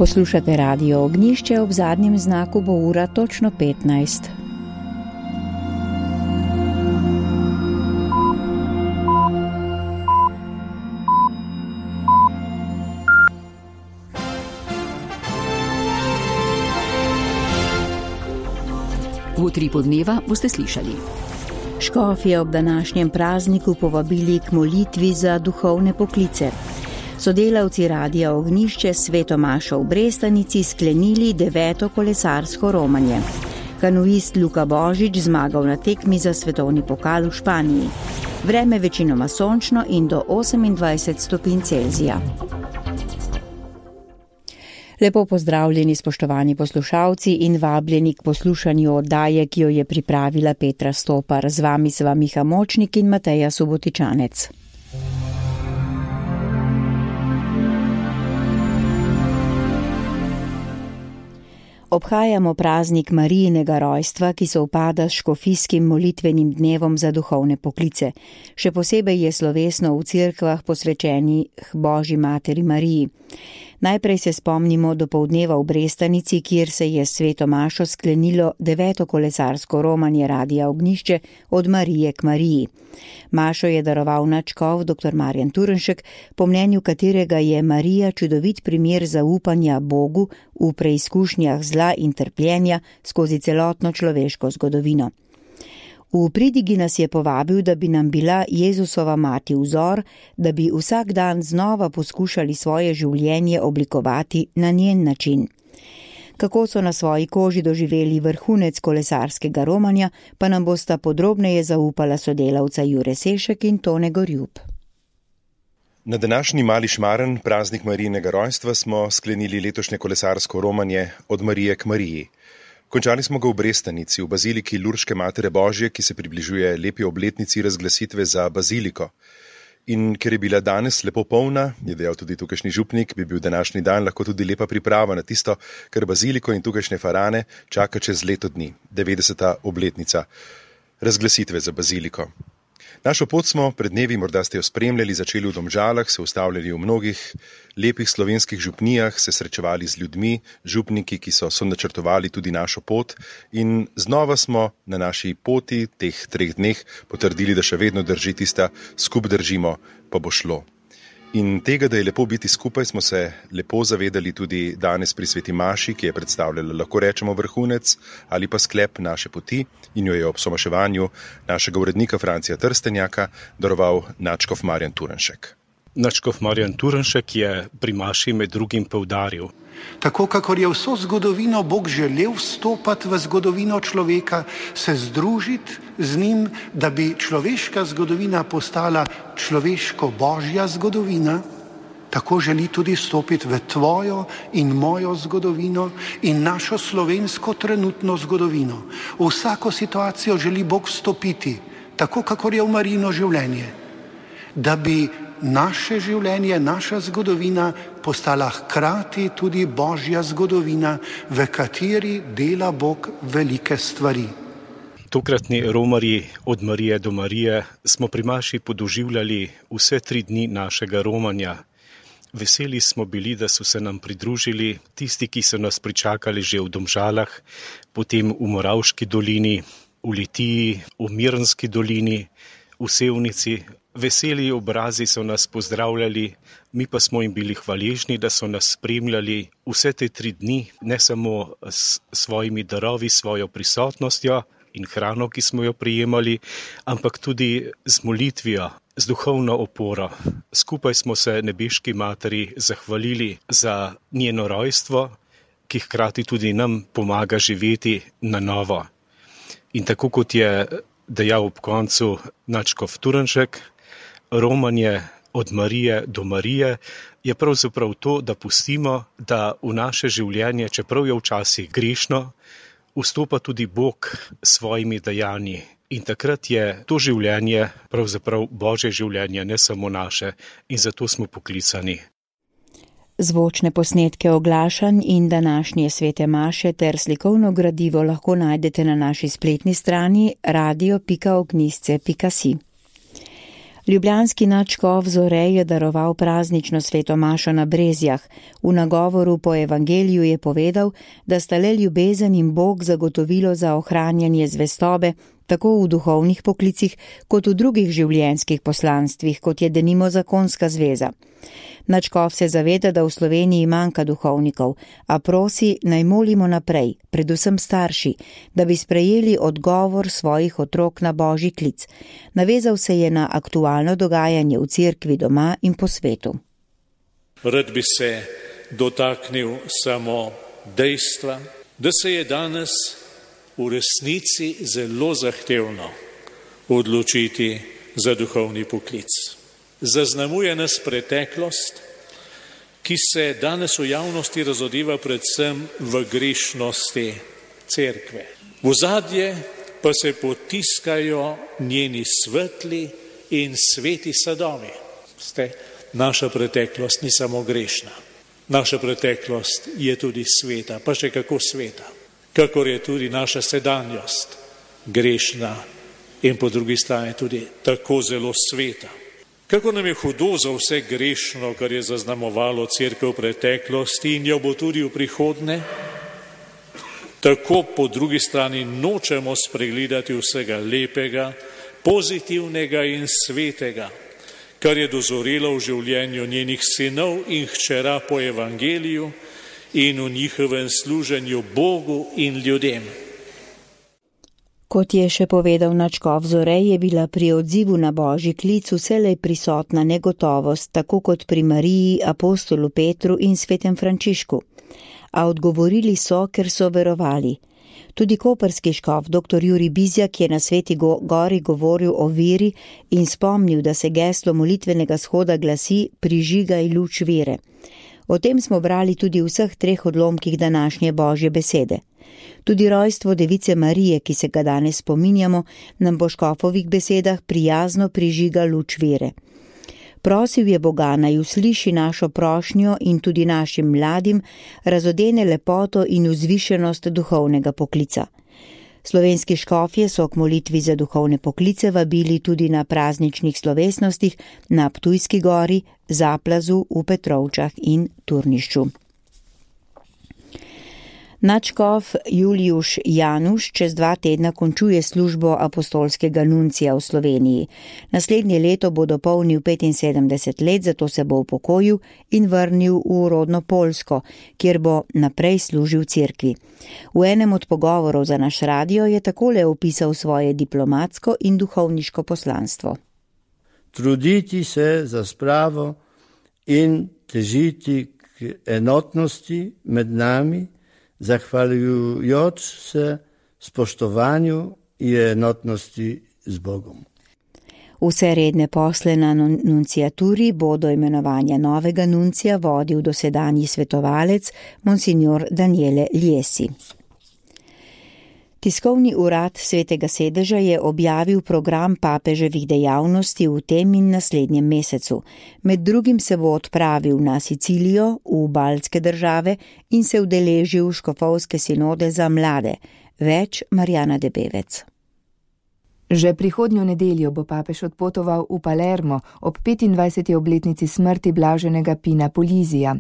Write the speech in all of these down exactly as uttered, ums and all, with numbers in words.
Poslušate Radio Ognjišče, ob zadnjem znaku bo ura točno petnajst. V utripu dneva boste slišali. Škofje ob današnjem prazniku povabili k molitvi za duhovne poklice. Sodelavci Radia Ognjišče s Sveto mašo v Brestanici sklenili deveto kolesarsko romanje. Kanuist Luka Božič zmagal na tekmi za svetovni pokal v Španiji. Vreme večinoma sončno in do osemindvajset stopinj Celzija. Lepo pozdravljeni, spoštovani poslušalci, in vabljeni k poslušanju oddaje, ki jo je pripravila Petra Stopar. Z vami sva Miha Močnik in Mateja Subotičanec. Obhajamo praznik Marijinega rojstva, ki sovpada s škofijskim molitvenim dnevom za duhovne poklice. Še posebej je slovesno v cerkvah posvečenih Božji materi Mariji. Najprej se spomnimo dopoldneva v Brestanici, kjer se je s Sveto mašo sklenilo deveto kolesarsko romanje Radia Ognjišče Od Marije k Mariji. Mašo je daroval nadškof dr. Marjan Turnšek, po mnenju katerega je Marija čudovit primer zaupanja Bogu v preizkušnjah zla in trpljenja skozi celotno človeško zgodovino. V pridigi nas je povabil, da bi nam bila Jezusova mati vzor, da bi vsak dan znova poskušali svoje življenje oblikovati na njen način. Kako so na svoji koži doživeli vrhunec kolesarskega romanja, pa nam bosta podrobneje zaupala sodelavca Jure Sešek in Tone Gorjub. Na današnji Mali Šmaren, praznik Marijinega rojstva, smo sklenili letošnje kolesarsko romanje Od Marije k Mariji. Končali smo ga v Brestanici, v baziliki Lurške Matere Božje, ki se približuje lepi obletnici razglasitve za baziliko. In ker je bila danes lepo polna, je dejal tudi tukajšnji župnik, bi bil današnji dan lahko tudi lepa priprava na tisto, kar baziliko in tukajšnje farane čaka čez leto dni, devetdeseta obletnica razglasitve za baziliko. Našo pot smo pred dnevi, morda ste jo spremljali, začeli v Domžalah, se ustavljali v mnogih lepih slovenskih župnijah, se srečevali z ljudmi, župniki, ki so sonačrtovali tudi našo pot, in znova smo na naši poti teh treh dneh potrdili, da še vedno drži tista skup držimo, pa bo šlo. In tega, da je lepo biti skupaj, smo se lepo zavedali tudi danes pri Sveti maši, ki je predstavljala, lahko rečemo, vrhunec ali pa sklep naše poti, in jo je ob somaševanju našega urednika Francija Trstenjaka daroval nadškof Marjan Turnšek. Nadškof Marjan Turnšek je pri maši med drugim poudaril: tako kakor je vso zgodovino Bog želel vstopati v zgodovino človeka, se združiti z njim, da bi človeška zgodovina postala človeško-božja zgodovina, tako želi tudi stopiti v tvojo in mojo zgodovino in našo slovensko trenutno zgodovino. V vsako situacijo želi Bog vstopiti, tako kakor je v Marijino življenje, da bi naše življenje, naša zgodovina postala hkrati tudi Božja zgodovina, v kateri dela Bog velike stvari. Tokratni romarji Od Marije do Marije smo pri maši podoživljali vse tri dni našega romanja. Veseli smo bili, da so se nam pridružili tisti, ki so nas pričakali že v Domžalah, potem v Moravški dolini, v Litiji, v Mirnski dolini, v Sevnici. Veseli obrazi so nas pozdravljali, mi pa smo jim bili hvaležni, da so nas spremljali vse te tri dni, ne samo s svojimi darovi, svojo prisotnostjo in hrano, ki smo jo prijemali, ampak tudi z molitvijo, z duhovno oporo. Skupaj smo se nebeški materi zahvalili za njeno rojstvo, ki hkrati tudi nam pomaga živeti na novo. In tako kot je dejal ob koncu nadškof Turnšek, romanje Od Marije do Marije je pravzaprav to, da pustimo, da v naše življenje, čeprav je včasih grešno, vstopa tudi Bog s svojimi dejanji. In takrat je to življenje pravzaprav Božje življenje, ne samo naše, in zato smo poklicani. Zvočne posnetke oglašanj in današnje svete maše ter slikovno gradivo lahko najdete na naši spletni strani radio pika ognjišče pika si. Ljubljanski nadškof Zorej je daroval praznično sveto mašo na Brezjah. V nagovoru po evangeliju je povedal, da sta le ljubezen in Bog zagotovilo za ohranjanje zvestobe, tako v duhovnih poklicih, kot v drugih življenjskih poslanstvih, kot je denimo zakonska zveza. Nadškof se zaveda, da v Sloveniji manjka duhovnikov, a prosi, naj molimo naprej, predvsem starši, da bi sprejeli odgovor svojih otrok na božji klic. Navezal se je na aktualno dogajanje v cerkvi doma in po svetu. Rad bi se dotaknil samo dejstva, da se je danes v resnici zelo zahtevno odločiti za duhovni poklic. Zaznamuje nas preteklost, ki se danes v javnosti razodeva predvsem v grešnosti cerkve. V ozadje pa se potiskajo njeni svetli in sveti sadovi. Ste, naša preteklost ni samo grešna, naša preteklost je tudi sveta, pa še kako sveta, kakor je tudi naša sedanjost grešna in po drugi strani tudi tako zelo sveta. Kako nam je hudo za vse grešno, kar je zaznamovalo cerkev v preteklosti in jo bo tudi v prihodnje, tako po drugi strani nočemo spregledati vsega lepega, pozitivnega in svetega, kar je dozorelo v življenju njenih sinov in hčera po evangeliju in v njihovem služenju Bogu in ljudem. Kot je še povedal nadškof Zorej, je bila pri odzivu na božji klic vselej prisotna negotovost, tako kot pri Mariji, apostolu Petru in svetem Frančišku. A odgovorili so, ker so verovali. Tudi koprski škof dr. Jurij Bizjak je na Sveti gori govoril o veri in spomnil, da se geslo molitvenega shoda glasi prižigaj luč vere. O tem smo brali tudi v vseh treh odlomkih današnje božje besede. Tudi rojstvo device Marije, ki se ga danes spominjamo, nam po škofovih besedah prijazno prižiga luč vere. Prosil je Boga, naj usliši našo prošnjo in tudi našim mladim razodene lepoto in vzvišenost duhovnega poklica. Slovenski škofje so k molitvi za duhovne poklice vabili tudi na prazničnih slovesnostih na Ptujski gori, Zaplazu, v Petrovčah in Turnišču. Nadškof Julijuš Januš čez dva tedna končuje službo apostolskega nuncija v Sloveniji. Naslednje leto bo dopolnil petinsedemdeset let, zato se bo upokojil in vrnil v rodno Poljsko, kjer bo naprej služil cerkvi. V enem od pogovorov za naš radio je takole opisal svoje diplomatsko in duhovniško poslanstvo. Truditi se za spravo in težiti k enotnosti med nami, zahvaljujoč se spoštovanju in enotnosti z Bogom. Vse redne posle na nunciaturi bo do imenovanja novega nuncija vodil dosedanji svetovalec monsignor Daniele Liesi. Tiskovni urad Svetega sedeža je objavil program papeževih dejavnosti v tem in naslednjem mesecu. Med drugim se bo odpravil na Sicilijo, v baltske države in se udeležil škofovske sinode za mlade. Več Marjana Debevec. Že prihodnjo nedeljo bo papež odpotoval v Palermo ob petindvajseti obletnici smrti blaženega Pina Polizija.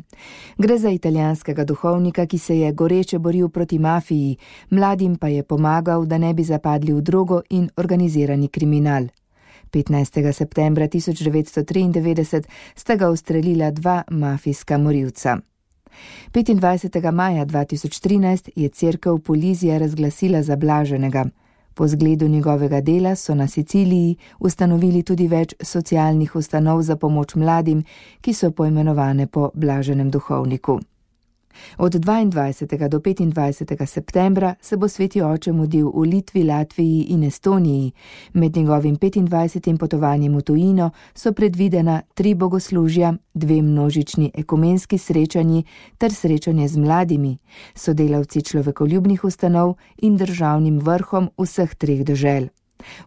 Gre za italijanskega duhovnika, ki se je goreče boril proti mafiji, mladim pa je pomagal, da ne bi zapadli v drogo in organizirani kriminal. petnajstega septembra tisoč devetsto triindevetdeset sta ga ustrelila dva mafijska morilca. petindvajsetega maja dva tisoč trinajst je cerkev Polizija razglasila za blaženega. Po zgledu njegovega dela so na Siciliji ustanovili tudi več socialnih ustanov za pomoč mladim, ki so poimenovane po blaženem duhovniku. Od dvaindvajsetega do petindvajsetega septembra se bo sveti oče mudil v Litvi, Latviji in Estoniji. Med njegovim petindvajsetim potovanjem v tujino so predvidena tri bogoslužja, dve množični ekumenski srečanji ter srečanje z mladimi, sodelavci človekoljubnih ustanov in državnim vrhom vseh treh dežel.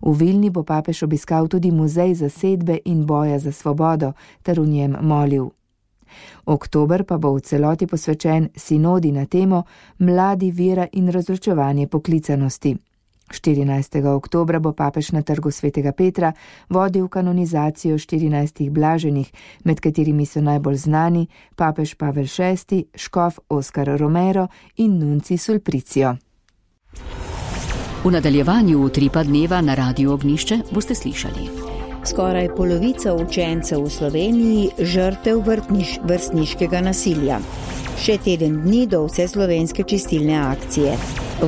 V Vilni bo papež obiskal tudi muzej zasedbe in boja za svobodo ter v njem molil. Oktober pa bo v celoti posvečen sinodi na temo Mladi, vera in razločevanje poklicanosti. štirinajstega oktobra bo papež na trgu svetega Petra vodil kanonizacijo štirinajstih blaženih, med katerimi so najbolj znani papež Pavel šesti, škof Oskar Romero in nunci Sulpricio. V nadaljevanju Utripa dneva na Radiu Ognjišče boste slišali. Skoraj polovica učencev v Sloveniji žrtev vrtniš, vrstniškega nasilja. Še teden dni do vseslovenske čistilne akcije.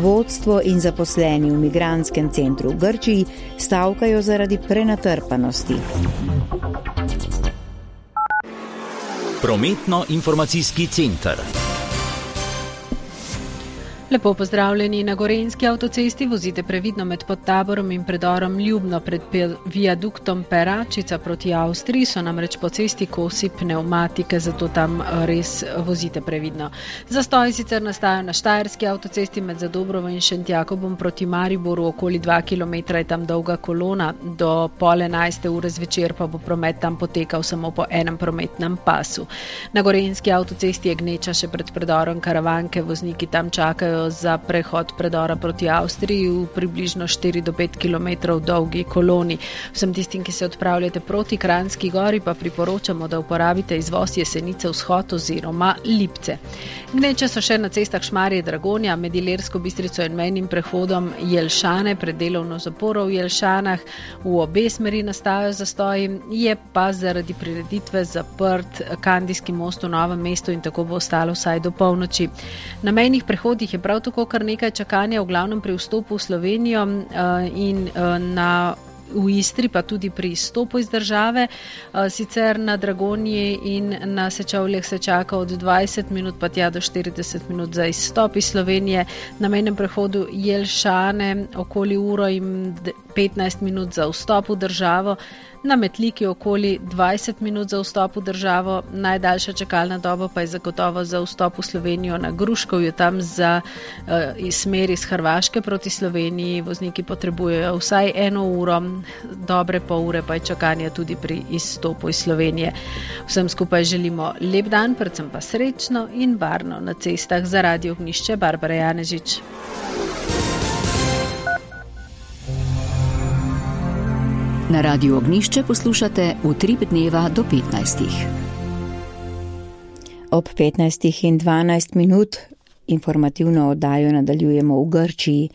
Vodstvo in zaposleni v migrantskem centru v Grčiji stavkajo zaradi prenatrpanosti. Prometno-informacijski center. Lepo pozdravljeni. Na Gorenjski avtocesti vozite previdno med Podtaborom in predorom Ljubno pred viaduktom Peračica proti Avstriji, so namreč po cesti kosi pneumatike, zato tam res vozite previdno. Zastoji sicer nastajajo na Štajerski avtocesti med Zadobrovo in Šentjakobom proti Mariboru, okoli dva kilometra je tam dolga kolona, do pol enajste ure zvečer pa bo promet tam potekal samo po enem prometnem pasu. Na Gorenjski avtocesti je gneča še pred predorom Karavanke, vozniki tam čakajo za prehod predora proti Avstriji v približno štiri do pet kilometrov dolgi koloni. Vsem tistim, ki se odpravljate proti Kranjski gori, pa priporočamo, da uporabite izvoz Jesenice vzhod oziroma Lipce. Gneče so še na cestah Šmarje Dragonja, med Ilirsko Bistrico in mejnim prehodom Jelšane, pred delovno zaporo v Jelšanah, v obe smeri nastajajo zastoji, je pa zaradi prireditve zaprt Kandijski most v Novem mestu in tako bo ostalo vsaj do polnoči. Na mejnih prehodih je prav tako kar nekaj čakanja, v glavnem pri vstopu v Slovenijo in na v Istri, pa tudi pri izstopu iz države. Sicer na Dragonji in na Sečovljah se čaka od dvajset minut pa tja do štirideset minut za izstop iz Slovenije. Na mejnem prehodu Jelšane okoli uro in petnajst minut za vstop v državo. Na Metliki okoli dvajset minut za vstop v državo, najdaljša čakalna doba pa je zagotovo za vstop v Slovenijo na Gruškovju, tam za uh, smer iz Hrvaške proti Sloveniji. Vozniki potrebujejo vsaj eno uro, dobre pol ure pa je čakanje tudi pri izstopu iz Slovenije. Vsem skupaj želimo lep dan, predvsem pa srečno in varno na cestah. Za Radio Ognjišče Barbara Janežič. Na Radiu Ognjišče poslušate Utrip dneva do petnajstih. Ob petnajstih in dvanajst minut informativno oddajo nadaljujemo v Grčiji.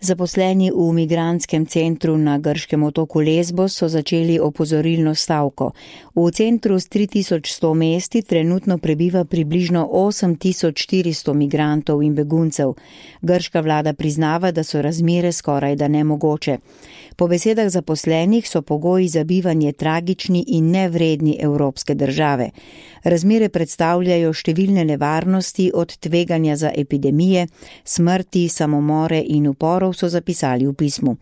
Zaposleni v migrantskem centru na grškem otoku Lesbos so začeli opozorilno stavko. V centru s tri tisoč sto mesti trenutno prebiva približno osem tisoč štiristo migrantov in beguncev. Grška vlada priznava, da so razmere skoraj da nemogoče. Po besedah zaposlenih so pogoji za bivanje tragični in nevredni evropske države. Razmere predstavljajo številne nevarnosti, od tveganja za epidemije, smrti, samomore in uporov, so zapisali v pismu.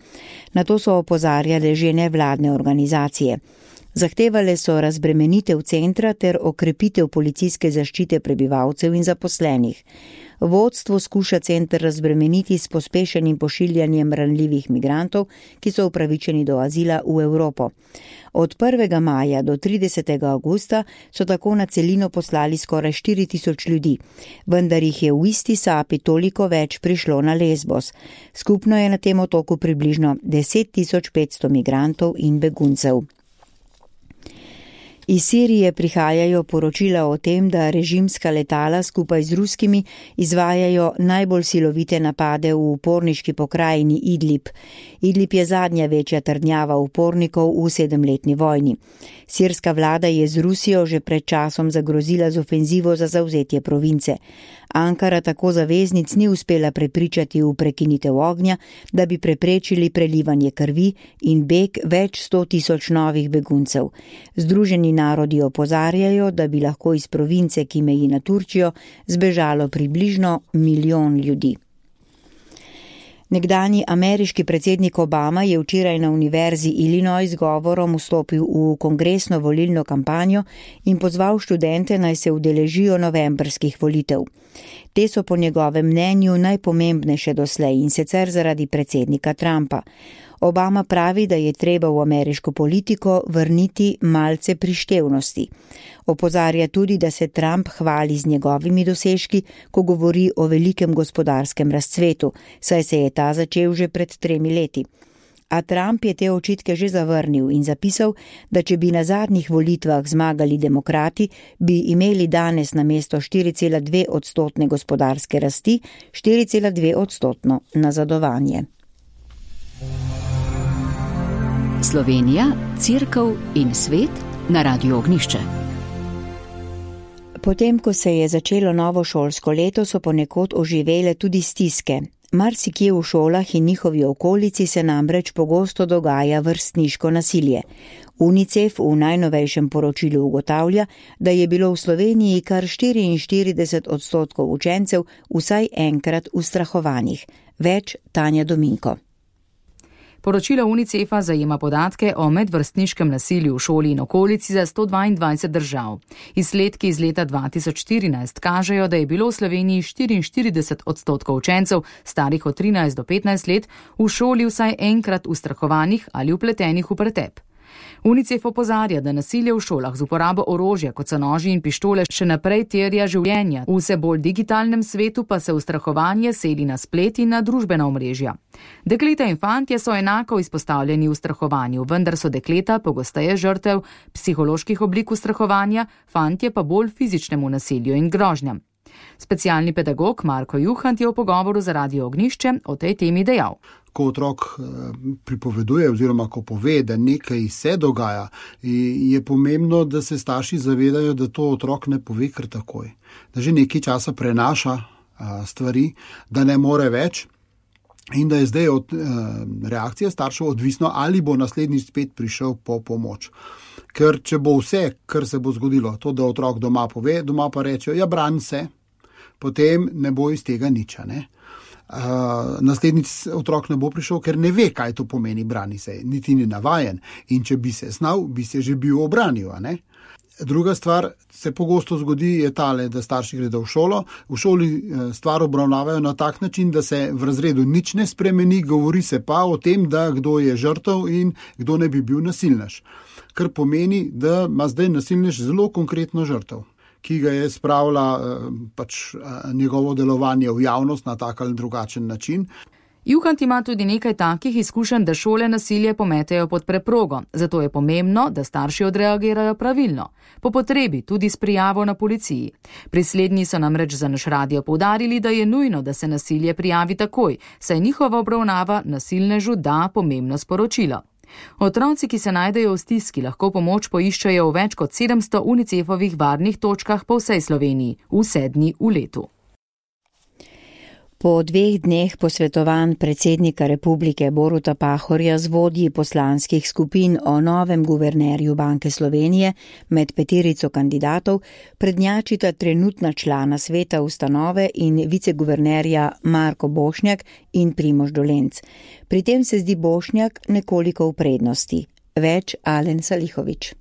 Na to so opozarjale že nevladne organizacije. Zahtevale so razbremenitev centra ter okrepitev policijske zaščite prebivalcev in zaposlenih. Vodstvo skuša center razbremeniti s pospešenim pošiljanjem ranljivih migrantov, ki so upravičeni do azila v Evropo. Od prvega maja do tridesetega avgusta so tako na celino poslali skoraj štiri tisoč ljudi, vendar jih je v isti sapi toliko več prišlo na Lesbos. Skupno je na tem otoku približno deset tisoč petsto migrantov in beguncev. Iz Sirije prihajajo poročila o tem, da režimska letala skupaj z ruskimi izvajajo najbolj silovite napade v uporniški pokrajini Idlib. Idlib je zadnja večja trdnjava upornikov v sedemletni vojni. Sirska vlada je z Rusijo že pred časom zagrozila z ofenzivo za zavzetje province. Ankara tako zaveznic ni uspela prepričati v prekinitev ognja, da bi preprečili prelivanje krvi in beg več sto tisoč novih beguncev. Združeni narodi opozarjajo, da bi lahko iz province, ki meji na Turčijo, zbežalo približno milijon ljudi. Nekdanji ameriški predsednik Obama je včeraj na univerzi Illinois z govorom vstopil v kongresno volilno kampanjo in pozval študente, naj se udeležijo novembrskih volitev. Te so po njegovem mnenju najpomembnejše doslej in sicer zaradi predsednika Trumpa. Obama pravi, da je treba v ameriško politiko vrniti malce prištevnosti. Opozarja tudi, da se Trump hvali z njegovimi dosežki, ko govori o velikem gospodarskem razcvetu, saj se je ta začel že pred tremi leti. A Trump je te očitke že zavrnil in zapisal, da če bi na zadnjih volitvah zmagali demokrati, bi imeli danes namesto štiri cela dve odstotne gospodarske rasti štiri cela dve odstotno nazadovanje. Slovenija, Cerkev in svet na Radiu Ognjišče. Potem, ko se je začelo novo šolsko leto, so ponekod oživele tudi stiske. Marsikje v šolah in njihovi okolici se namreč pogosto dogaja vrstniško nasilje. UNICEF v najnovejšem poročilu ugotavlja, da je bilo v Sloveniji kar štiriinštirideset odstotkov učencev vsaj enkrat ustrahovanih. Več Tanja Dominko. Poročilo UNICEF-a zajema podatke o medvrstniškem nasilju v šoli in okolici za sto dvaindvajset držav. Izsledki iz leta dva tisoč štirinajst kažejo, da je bilo v Sloveniji štiriinštirideset odstotkov učencev starih od trinajst do petnajst let v šoli vsaj enkrat ustrahovanih ali vpletenih v pretep. UNICEF opozarja, da nasilje v šolah z uporabo orožja, kot so noži in pištole, še naprej terja življenja. V vse bolj digitalnem svetu pa se ustrahovanje seli na splet in na družbena omrežja. Dekleta in fantje so enako izpostavljeni ustrahovanju, vendar so dekleta pogosteje žrtev psiholoških oblik ustrahovanja, fantje pa bolj fizičnemu nasilju in grožnjam. Specialni pedagog Marko Juhant je v pogovoru za Radio Ognjišče o tej temi dejal. Ko otrok pripoveduje oziroma ko pove, da nekaj se dogaja, je pomembno, da se starši zavedajo, da to otrok ne pove kar takoj. Da že nekaj časa prenaša stvari, da ne more več in da je zdaj od reakcije staršev odvisno, ali bo naslednjič spet prišel po pomoč. Ker če bo vse, kar se bo zgodilo, to, da otrok doma pove, doma pa reče, ja, brani se, potem ne bo iz tega nič, ne? Uh, naslednjič otrok ne bo prišel, ker ne ve, kaj to pomeni brani se, niti ni navajen. In če bi se znal, bi se že bil obranil. Ne? Druga stvar se pogosto zgodi je tale, da starši gredo v šolo. V šoli stvar obravnavajo na tak način, da se v razredu nič ne spremeni, govori se pa o tem, da kdo je žrtev in kdo ne bi bil nasilnež. Kar pomeni, da ima zdaj nasilnež zelo konkretno žrtev, ki ga je spravila pač njegovo delovanje v javnost na tak ali drugačen način. Juhant ima tudi nekaj takih izkušenj, da šole nasilje pometejo pod preprogo, zato je pomembno, da starši odreagirajo pravilno, po potrebi tudi s prijavo na policiji. Pri slednji so namreč za naš radio poudarili, da je nujno, da se nasilje prijavi takoj, saj njihova obravnava nasilnežu da pomembno sporočilo. Otroci, ki se najdejo v stiski, lahko pomoč poiščajo v več kot sedemsto UNICEF-ovih varnih točkah po vsej Sloveniji, vse dni v letu. Po dveh dneh posvetovanj predsednika republike Boruta Pahorja z vodji poslanskih skupin o novem guvernerju Banke Slovenije med peterico kandidatov prednjačita trenutna člana sveta ustanove in viceguvernerja Marko Bošnjak in Primož Dolenc. Pri tem se zdi Bošnjak nekoliko v prednosti. Več Alen Salihovič.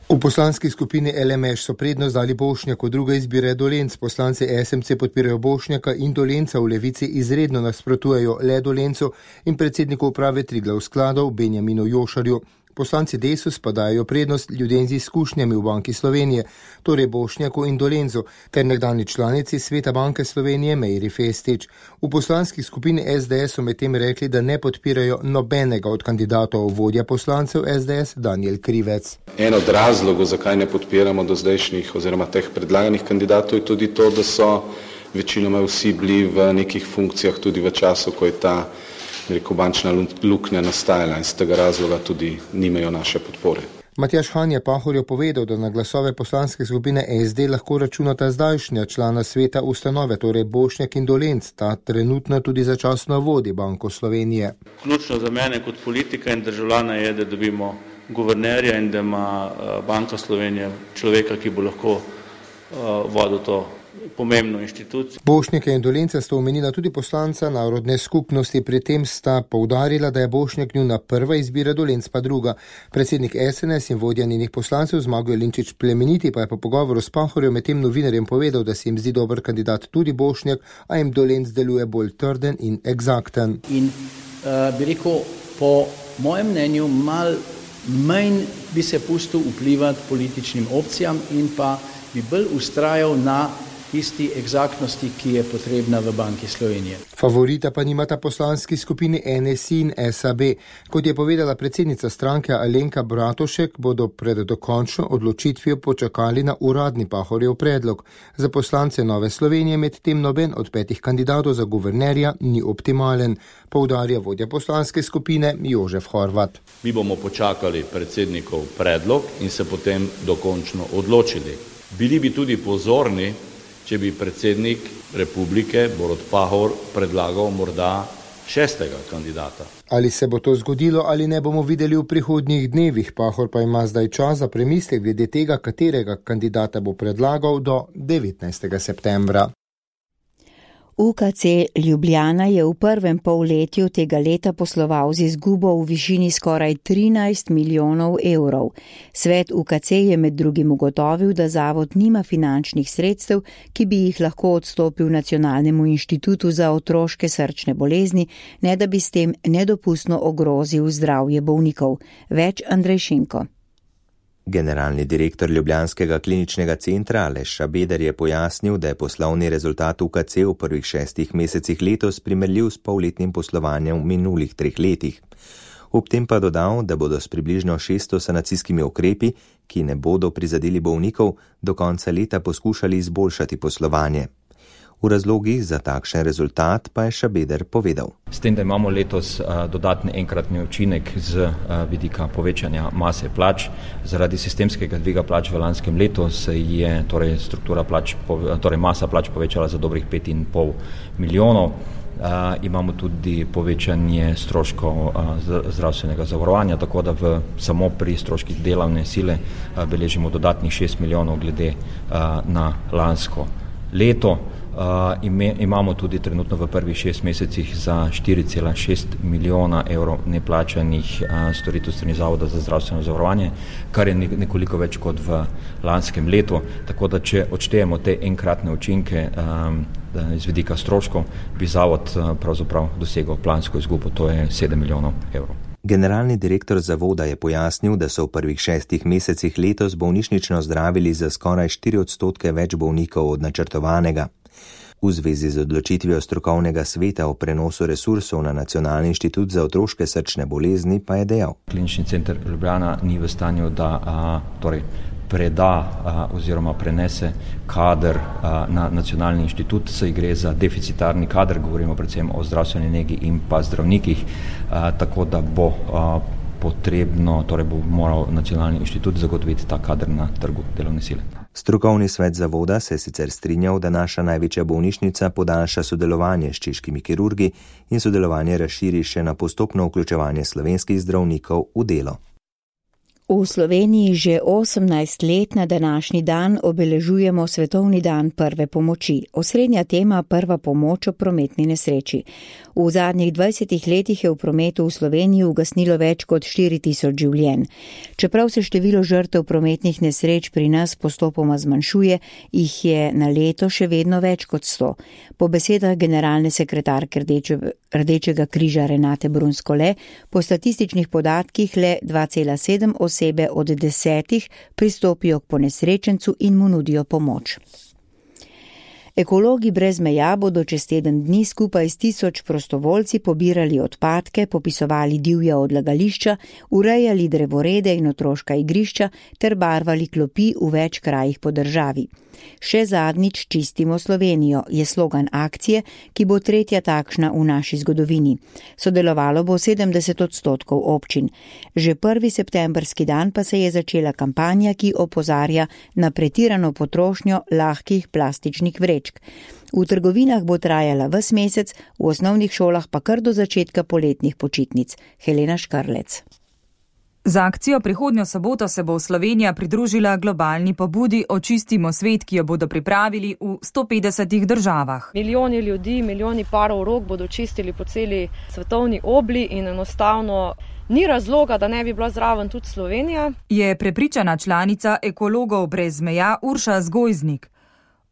V poslanski skupini L M Š so prednost dali Bošnjaku, druga izbira je Dolenc. Poslanci S M C podpirajo Bošnjaka in Dolenca, v Levici izredno nasprotujejo le Dolencu in predsedniku uprave Triglav skladov Benjaminu Jošarju. Poslanci Desus pa dajo prednost ljudem z izkušnjami v Banki Slovenije, torej Bošnjaku in Dolencu, ter nekdanji članici Sveta Banke Slovenije Mejri Festič. V poslanski skupini S D S so medtem rekli, da ne podpirajo nobenega od kandidatov. Vodja poslancev S D S Danijel Krivec. En od razlogov, zakaj ne podpiramo do zdajšnjih oziroma teh predlaganih kandidatov, je tudi to, da so večinoma vsi bili v nekih funkcijah tudi v času, ko je ta rekel, bančna luknja nastajala in z tega razloga tudi nimajo naše podpore. Matjaž Han je Pahorju povedal, da na glasove poslanske skupine S D lahko računata zdajšnja člana sveta ustanove, torej Bošnjak in Dolenc, ta trenutno tudi začasno vodi Banko Slovenije. Ključno za mene kot politika in državljana je, da dobimo guvernerja in da ima Banka Slovenije človeka, ki bo lahko vodil to pomembno inštitucijo. Bošnjaka in Dolenca sta omenila tudi poslanca narodne skupnosti, pri tem sta poudarila, da je Bošnjak njuna prva izbira, Dolenc pa druga. Predsednik S N S in vodja njenih poslancev Zmago Jelinčič Plemeniti pa je po pogovoru s Pahorjem med tem novinarjem povedal, da se jim zdi dober kandidat tudi Bošnjak, a jim Dolenc deluje bolj trden in eksakten. In uh, bi rekel, po mojem mnenju mal manj bi se pustil vplivati političnim opcijam in pa bi bolj ustrajal na tisti egzaktnosti, ki je potrebna v Banki Slovenije. Favorita pa nimata poslanski skupini N S I in S A B. Kot je povedala predsednica stranke Alenka Bratušek, bodo pred dokončno odločitvijo počakali na uradni Pahorjev predlog. Za poslance Nove Slovenije med tem noben od petih kandidatov za guvernerja ni optimalen, poudarja vodja poslanske skupine Jožef Horvat. Mi bomo počakali predsednikov predlog in se potem dokončno odločili. Bili bi tudi pozorni, če bi predsednik republike Borut Pahor predlagal morda šestega kandidata. Ali se bo to zgodilo ali ne, bomo videli v prihodnjih dnevih. Pahor pa ima zdaj čas za premislek glede tega, katerega kandidata bo predlagal do devetnajstega septembra. U K C Ljubljana je v prvem polletju tega leta posloval z izgubo v višini skoraj trinajst milijonov evrov. Svet U K C je med drugim ugotovil, da zavod nima finančnih sredstev, ki bi jih lahko odstopil Nacionalnemu inštitutu za otroške srčne bolezni, ne da bi s tem nedopustno ogrozil zdravje bolnikov. Več Andrej Šinko. Generalni direktor Ljubljanskega kliničnega centra Aleš Šabeder je pojasnil, da je poslovni rezultat U K C v prvih šestih mesecih letos primerljiv s polletnim poslovanjem v minulih treh letih. Ob tem pa dodal, da bodo s približno šeststo sanacijskimi ukrepi, ki ne bodo prizadeli bolnikov, do konca leta poskušali izboljšati poslovanje. V razlogih za takšen rezultat pa je Šabeder povedal. S tem, da imamo letos dodatni enkratni učinek z vidika povečanja mase plač, zaradi sistemskega dviga plač v lanskem letu se je torej struktura plač, torej masa plač povečala za dobrih pet in pol milijonov. Uh, imamo tudi povečanje stroškov uh, zdravstvenega zavarovanja, tako da v, samo pri stroških delovne sile uh, beležimo dodatnih šest milijonov glede uh, na lansko leto. Uh, ime, imamo tudi trenutno v prvih šest mesecih za štiri cela šest milijona evrov neplačanih uh, storitev strani Zavoda za zdravstveno zavarovanje, kar je nekoliko več kot v lanskem letu. Tako da, če odštejemo te enkratne učinke um, iz vidika stroškov, bi zavod uh, pravzaprav dosegel plansko izgubo, to je sedem milijonov evrov. Generalni direktor zavoda je pojasnil, da so v prvih šestih mesecih letos bolnišnično zdravili za skoraj štiri odstotke več bolnikov od načrtovanega. V zvezi z odločitvijo strokovnega sveta o prenosu resursov na Nacionalni inštitut za otroške srčne bolezni pa je dejal. Klinični center Ljubljana ni v stanju, da a, torej preda a, oziroma prenese kader a, na Nacionalni inštitut, saj gre za deficitarni kader, govorimo predvsem o zdravstveni negi in pa zdravnikih, a, tako da bo a, potrebno, torej bo moral Nacionalni inštitut zagotoviti ta kader na trgu delovne sile. Strokovni svet zavoda se je sicer strinjal, da naša največja bolnišnica podaljša sodelovanje s češkimi kirurgi in sodelovanje razširi še na postopno vključevanje slovenskih zdravnikov v delo. V Sloveniji že osemnajst let na današnji dan obeležujemo Svetovni dan prve pomoči. Osrednja tema prva pomoč ob prometni nesreči. V zadnjih dvajsetih letih je v prometu v Sloveniji ugasnilo več kot štiri tisoč življenj. Čeprav se število žrtev prometnih nesreč pri nas postopoma zmanjšuje, jih je na leto še vedno več kot sto. Po besedah generalne sekretarke Rdeče, Rdečega križa Renate Brunskole, po statističnih podatkih le dva cela sedem osebe od desetih pristopijo k ponesrečencu in mu nudijo pomoč. Ekologi brez meja bodo čez teden dni skupaj s tisoč prostovoljci pobirali odpadke, popisovali divja odlagališča, urejali drevorede in otroška igrišča ter barvali klopi v več krajih po državi. Še zadnjič čistimo Slovenijo je slogan akcije, ki bo tretja takšna v naši zgodovini. Sodelovalo bo sedemdeset odstotkov občin. Že prvi septembrski dan pa se je začela kampanja, ki opozarja na pretirano potrošnjo lahkih plastičnih vrečk. V trgovinah bo trajala ves mesec, v osnovnih šolah pa kar do začetka poletnih počitnic. Helena Škarlec. Za akcijo prihodnjo soboto se bo Slovenija pridružila globalni pobudi Očistimo svet, ki jo bodo pripravili v sto petdesetih državah. Milijoni ljudi, milijoni parov rok bodo čistili po celi svetovni obli in enostavno ni razloga, da ne bi bila zraven tudi Slovenija. Je prepričana članica Ekologov brez meja Urša Zgojznik.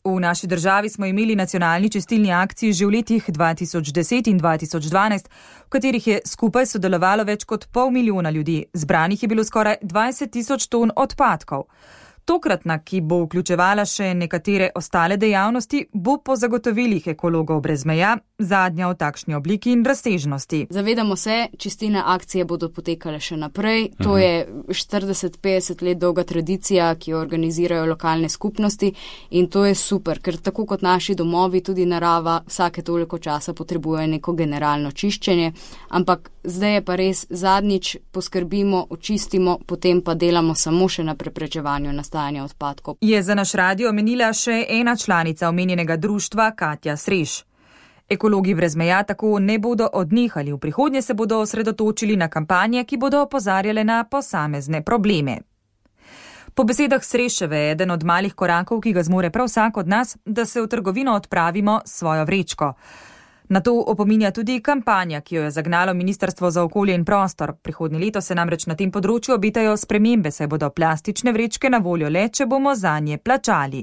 V naši državi smo imeli nacionalni čistilni akciji že v letih dva tisoč deset in dva tisoč dvanajst, v katerih je skupaj sodelovalo več kot pol milijona ljudi. Zbranih je bilo skoraj dvajset tisoč ton odpadkov. Tokratna, ki bo vključevala še nekatere ostale dejavnosti, bo po zagotovilih ekologov brez meja zadnja v takšni obliki in razsežnosti. Zavedamo se, čistilne akcije bodo potekale še naprej. To je štirideset petdeset let dolga tradicija, ki jo organizirajo lokalne skupnosti in to je super, ker tako kot naši domovi, tudi narava vsake toliko časa potrebuje neko generalno čiščenje, ampak zdaj je pa res zadnjič poskrbimo, očistimo, potem pa delamo samo še na preprečevanju nastajanja odpadkov. Je za naš radio omenila še ena članica omenjenega društva, Katja Sreš. Ekologi brez meja tako ne bodo odnehali, v prihodnje se bodo osredotočili na kampanje, ki bodo opozarjale na posamezne probleme. Po besedah Sreševe je eden od malih korakov, ki ga zmore prav vsak od nas, da se v trgovino odpravimo s svojo vrečko. Na to opominja tudi kampanja, ki jo je zagnalo Ministrstvo za okolje in prostor. Prihodnje leto se namreč na tem področju obetajo spremembe, saj bodo plastične vrečke na voljo le, če bomo zanje plačali.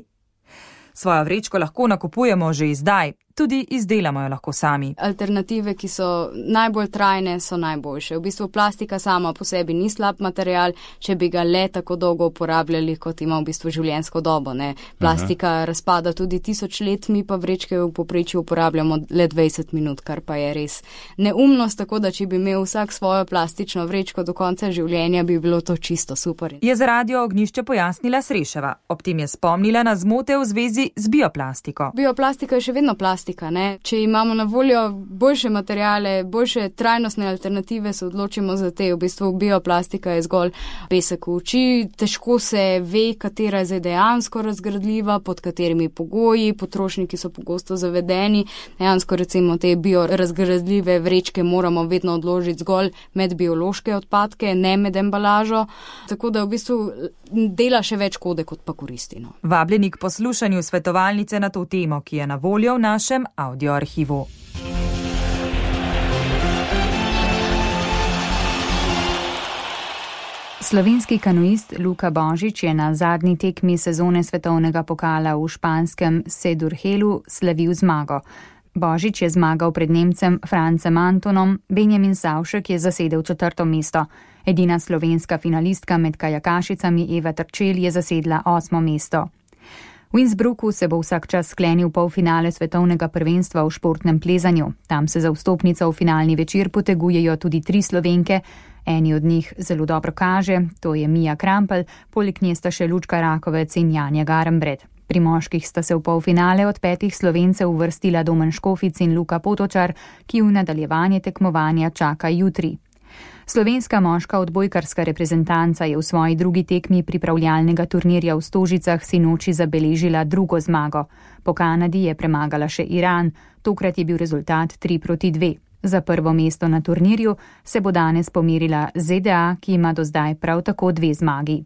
Svojo vrečko lahko nakupujemo že zdaj, tudi izdelamo jo lahko sami. Alternative, ki so najbolj trajne, so najboljše. V bistvu plastika sama po sebi ni slab material, če bi ga le tako dolgo uporabljali, kot ima v bistvu življenjsko dobo. Ne? Plastika Aha. razpada tudi tisoč let, mi pa vrečke v povprečju uporabljamo le dvajset minut, kar pa je res neumnost, tako da če bi imel vsak svojo plastično vrečko do konca življenja, bi bilo to čisto super. Je za Radio Ognjišče pojasnila Sreševa. Ob tem je spomnila na zmote v zvezi z bioplastiko. Bioplastika je še vedno plastika. Ne? Če imamo na voljo boljše materijale, boljše trajnostne alternative, se odločimo za te. V bistvu bioplastika je zgolj pesek v oči, težko se ve, katera je zdaj dejansko razgradljiva, pod katerimi pogoji, potrošniki so pogosto zavedeni. Dejansko recimo te biorazgradljive vrečke moramo vedno odložiti zgolj med biološke odpadke, ne med embalažo, tako da v bistvu dela še več škode, kot pa koristi. No. Vabljeni k poslušanju svetovalnice na to temo, ki je na voljo v našem audioarhivu. Slovenski kanuist Luka Božič je na zadnji tekmi sezone svetovnega pokala v španskem Sedurhelu slavil zmago. Božič je zmagal pred Nemcem Francem Antonom, Benjamin Savšek je zasedel četrto mesto. Edina slovenska finalistka med kajakašicami Eva Trčel je zasedla osmo mesto. V Innsbrucku se bo vsak čas sklenil polfinale svetovnega prvenstva v športnem plezanju. Tam se za vstopnico v finalni večer potegujejo tudi tri Slovenke. Eni od njih zelo dobro kaže, to je Mija Krampelj, poleg nje sta še Lučka Rakovec in Janja Garembred. Pri moških sta se v polfinale od petih Slovencev uvrstila Domen Škofic in Luka Potočar, ki v nadaljevanje tekmovanja čaka jutri. Slovenska moška odbojkarska reprezentanca je v svoji drugi tekmi pripravljalnega turnirja v Stožicah sinoči zabeležila drugo zmago. Po Kanadi je premagala še Iran, tokrat je bil rezultat tri proti dve. Za prvo mesto na turnirju se bo danes pomerila Z D A, ki ima do zdaj prav tako dve zmagi.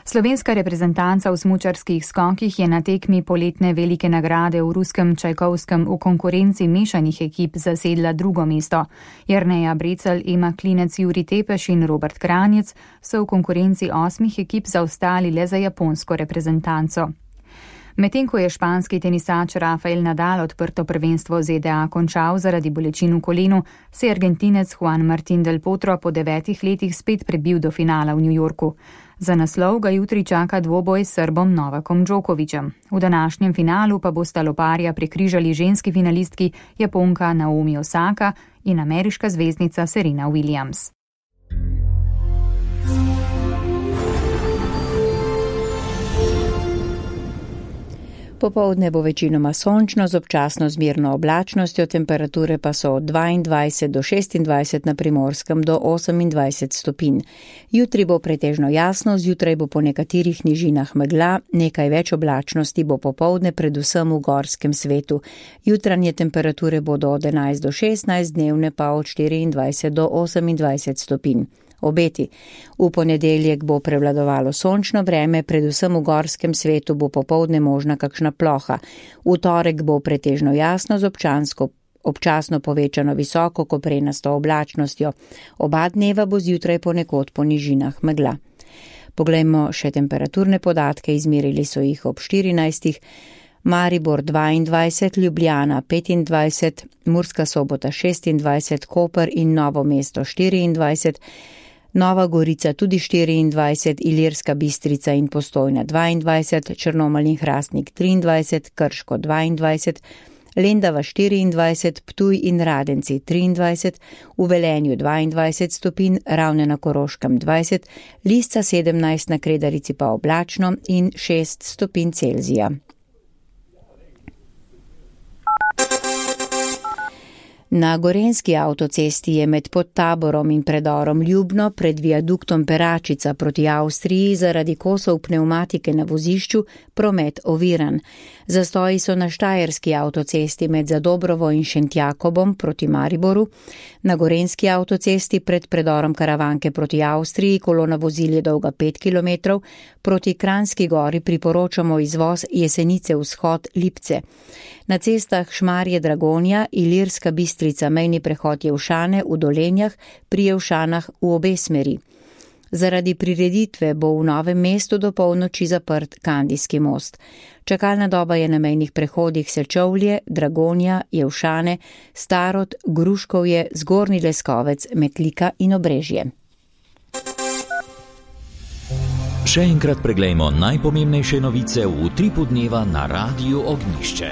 Slovenska reprezentanca v smučarskih skokih je na tekmi poletne velike nagrade v ruskem Čajkovskem v konkurenci mešanih ekip zasedla drugo mesto. Jerneja Brecelj, Ema Klinec, Juri Tepeš in Robert Kranjec so v konkurenci osmih ekip zaostali le za japonsko reprezentanco. Medtem ko je španski tenisač Rafael Nadal odprto prvenstvo Z D A končal zaradi bolečin v kolenu, se je Argentinec Juan Martín del Potro po devetih letih spet prebil do finala v New Yorku. Za naslov ga jutri čaka dvoboj s Srbom Novakom Djokovićem. V današnjem finalu pa bosta loparja prekrižali ženski finalistki Japonka Naomi Osaka in ameriška zvezdnica Serena Williams. Popoldne bo večinoma sončno z občasno zmerno oblačnostjo, temperature pa so od dvaindvajset do šestindvajset na Primorskem do osemindvajset stopinj. Jutri bo pretežno jasno, zjutraj bo po nekaterih nižinah megla, nekaj več oblačnosti bo popoldne predvsem v gorskem svetu. Jutranje temperature bodo od enajst do šestnajst, dnevne pa od štiriindvajset do osemindvajset stopinj. Obeti. V ponedeljek bo prevladovalo sončno vreme, predvsem v gorskem svetu bo popoldne možna kakšna ploha. V torek bo pretežno jasno z občansko, občasno povečano visoko koprenasto oblačnostjo. Oba dneva bo zjutraj ponekod po nižinah megla. Poglejmo še temperaturne podatke, izmerili so jih ob štirinajstih. Maribor dvaindvajset, Ljubljana petindvajset, Murska Sobota šestindvajset, Koper in Novo mesto štiriindvajset, Nova Gorica tudi štiriindvajset, Ilirska Bistrica in Postojna dvaindvajset, Črnomelj in Hrastnik triindvajset, Krško dvaindvajset, Lendava štiriindvajset, Ptuj in Radenci triindvajset, v Velenju dvaindvajset stopinj, Ravne na Koroškem dvajset, Lisca sedemnajst, na Kredarici pa oblačno in šest stopinj Celzija. Na gorenjski avtocesti je med Podtaborom in predorom Ljubno pred viaduktom Peračica proti Avstriji zaradi kosov pnevmatike na vozišču promet oviran. Zastoji so na štajerski avtocesti med Zadobrovo in Šentjakobom proti Mariboru, na gorenjski avtocesti pred predorom Karavanke proti Avstriji kolona vozil je dolga pet kilometrov, proti Kranjski gori priporočamo izvoz Jesenice vzhod Lipce. Na cestah Šmarje Dragonja, Ilirska Bistrica, mejni prehod Jevšane v Dolenjah, pri Jevšanah v obe smeri. Zaradi prireditve bo v Novem mestu do polnoči zaprt Kandijski most. Čakalna doba je na mejnih prehodih Sečovlje, Dragonja, Jevšane, Starod, Gruškovje, Zgornji Leskovec, Metlika in Obrežje. Še enkrat preglejmo najpomembnejše novice v utripu dneva na Radiu Ognjišče.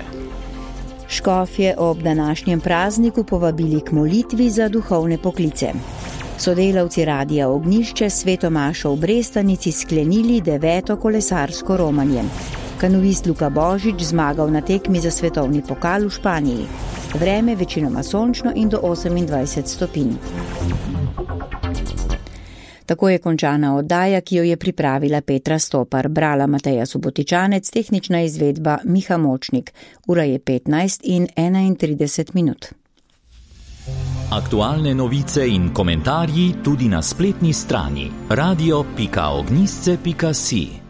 Škofje ob današnjem prazniku povabili k molitvi za duhovne poklice. Sodelavci Radia Ognjišče Sveto mašo v Brestanici sklenili deveto kolesarsko romanje. Kanuist Luka Božič zmagal na tekmi za svetovni pokal v Španiji. Vreme večinoma sončno in do osemindvajset stopinj. Tako je končana oddaja, ki jo je pripravila Petra Stopar, brala Mateja Subotičanec, tehnična izvedba Miha Močnik. Ura je petnajst in enaintrideset minut. Aktualne novice in komentarji tudi na spletni strani radio pika ognjišče pika si.